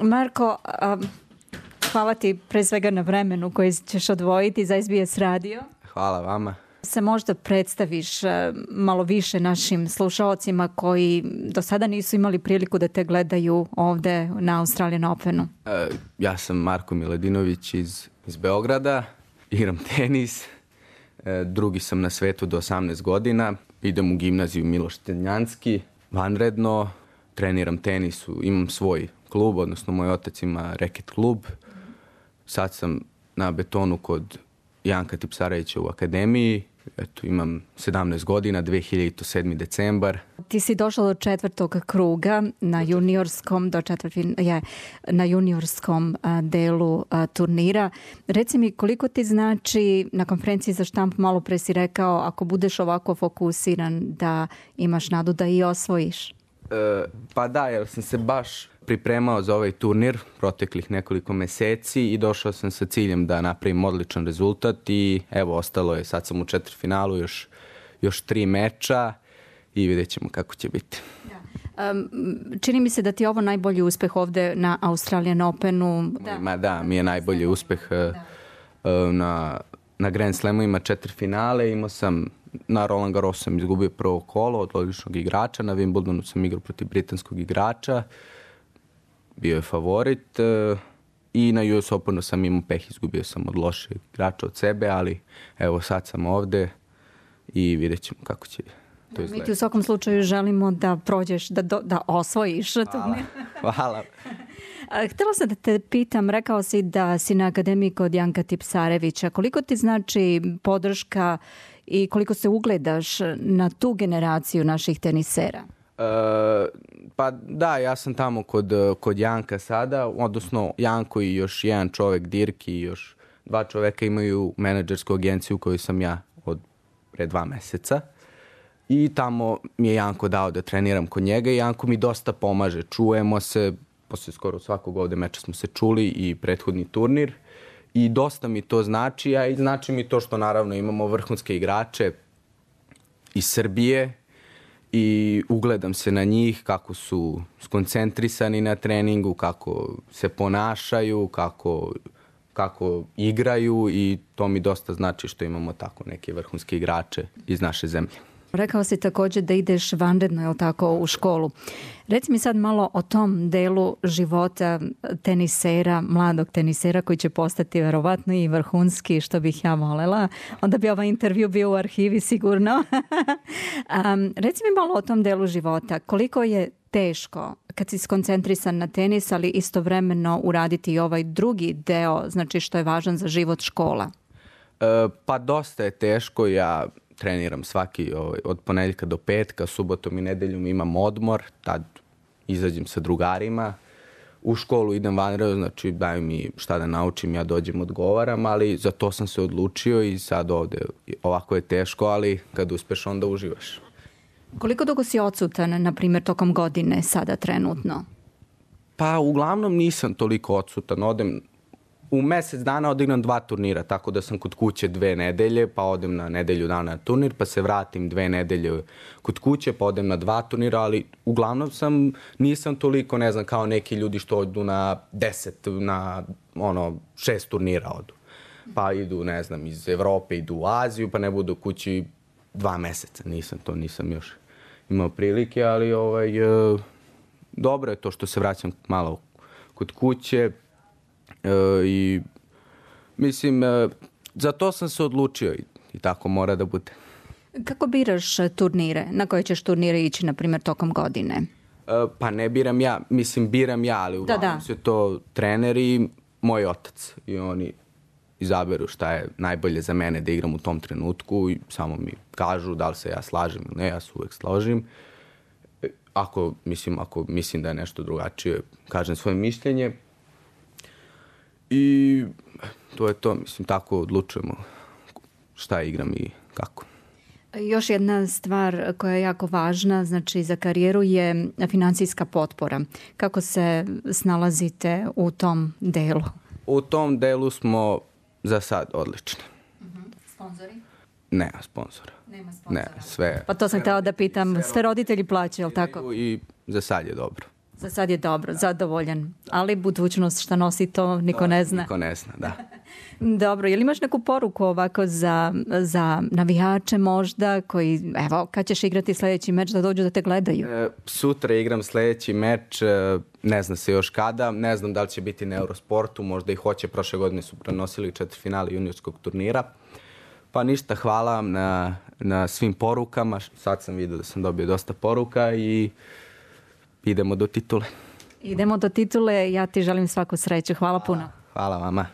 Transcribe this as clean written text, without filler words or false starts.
Marko, hvala ti pre svega na vremenu koji ćeš odvojiti za SBS radio. Hvala vama. Se možda predstaviš malo više našim slušalcima koji do sada nisu imali priliku da te gledaju ovde na Australian Openu. Ja sam Marko Miladinović iz Beograda, igram tenis, drugi sam na svetu do 18 godina, idem u gimnaziju Miloš Tenjanski, vanredno, treniram tenis, imam svoj klub, odnosno moj otac ima reket klub. Sad sam na betonu kod Janka Tipsarevića u akademiji. Eto, imam 17 godina, 2007. decembar. Ti si došla do 4. kruga na juniorskom, na juniorskom delu turnira. Reci mi, koliko ti znači, na konferenciji za štamp malo pre si rekao, ako budeš ovako fokusiran da imaš nadu da i osvojiš? Pa da, jer sam se baš pripremao za ovaj turnir proteklih nekoliko meseci i došao sam sa ciljem da napravim odličan rezultat i evo, ostalo je, sad sam u četvrtfinalu, još 3 meča i vidjet ćemo kako će biti. Čini mi se da ti je ovo najbolji uspeh ovde na Australian Openu. Mi je najbolji uspeh na Grand Slamu, ima 4 finale, imao sam na Roland Garrosu sam izgubio prvo kolo od odličnog igrača, na Wimbledonu sam igrao protiv britanskog igrača, bio je favorit i na US Openu sam imao peh, izgubio sam od lošeg igrača od sebe, ali evo sad sam ovde i vidjet ćemo kako će to izgledati. Mi ti u svakom slučaju želimo da prođeš, da osvojiš turnir. Hvala. Htjela sam da te pitam, rekao si da si na akademiji kod Janka Tipsarevića. Koliko ti znači podrška i koliko se ugledaš na tu generaciju naših tenisera? Pa da, ja sam tamo kod Janka sada, odnosno Janko i još jedan čovek, Dirk i još 2 čoveka imaju menadžersku agenciju koju sam ja od pre 2 meseca. I tamo mi je Janko dao da treniram kod njega i Janko mi dosta pomaže. Čujemo se, posle skoro svakog ovde meča smo se čuli i prethodni turnir. I dosta mi to znači, a i znači mi to što naravno imamo vrhunske igrače iz Srbije i ugledam se na njih kako su skoncentrisani na treningu, kako se ponašaju, kako igraju i to mi dosta znači što imamo tako neke vrhunske igrače iz naše zemlje. Rekao si također da ideš vanredno, je li tako, u školu. Reci mi sad malo o tom delu života tenisera, mladog tenisera koji će postati verovatno i vrhunski, što bih ja volela. Onda bi ovaj intervju bio u arhivi sigurno. Reci mi malo o tom delu života. Koliko je teško kad si skoncentrisan na tenis, ali istovremeno uraditi i ovaj drugi deo, znači što je važan za život, škola? Pa dosta je teško. Ja treniram svaki od ponedjeljka do petka, subotom i nedeljom imam odmor, tad izađem sa drugarima. U školu idem vanredno, znači daju mi šta da naučim, ja dođem, odgovaram, ali za to sam se odlučio i sad ovde ovako je teško, ali kad uspeš onda uživaš. Koliko dugo si odsutan, na primjer, tokom godine sada trenutno? Pa uglavnom nisam toliko odsutan, u mesec dana odigram 2 turnira, tako da sam kod kuće 2 nedelje, pa odem na nedelju dana na turnir, pa se vratim 2 nedelje kod kuće, pa odem na 2 turnira, ali uglavnom nisam toliko, ne znam, kao neki ljudi što odu na 10, na 6 turnira odu. Pa idu, ne znam, iz Evrope, idu u Aziju, pa ne budu kući 2 meseca. Nisam još imao prilike, ali dobro je to što se vraćam malo kod kuće. I mislim, za to sam se odlučio i tako mora da bude. Kako biraš turnire? Na koje ćeš turnire ići, na primjer, tokom godine? Pa ne biram ja, mislim biram ja, ali uglavnom se to treneri i moj otac. I oni izaberu šta je najbolje za mene da igram u tom trenutku i samo mi kažu da li se ja slažem ili ne, ja se uvek složim. Ako mislim da je nešto drugačije, kažem svoje mišljenje. I to je to, mislim, tako odlučujemo šta igram i kako. Još jedna stvar koja je jako važna, znači za karijeru, je financijska potpora. Kako se snalazite u tom delu? U tom delu smo za sad odlični. Sponzori? Nema sponzora. Nema sponzora. Ne, sve. Pa to sam htjela da pitam, sve roditelji plaćaju, je li tako? I za sad je dobro. Za sad je dobro, zadovoljan. Ali budućnost šta nosi to niko ne zna. Niko ne zna, da. Dobro, je li imaš neku poruku ovako za navijače možda koji, evo, kad ćeš igrati sljedeći meč da dođu da te gledaju? Sutra igram sljedeći meč, ne zna se još kada, ne znam da li će biti na Eurosportu, možda i hoće, prošle godine su prenosili četvrtfinale juniorskog turnira. Pa ništa, hvala vam na svim porukama, sad sam vidio da sam dobio dosta poruka i idemo do titule. Idemo do titule, ja ti želim svaku sreću, hvala puno. Hvala vama.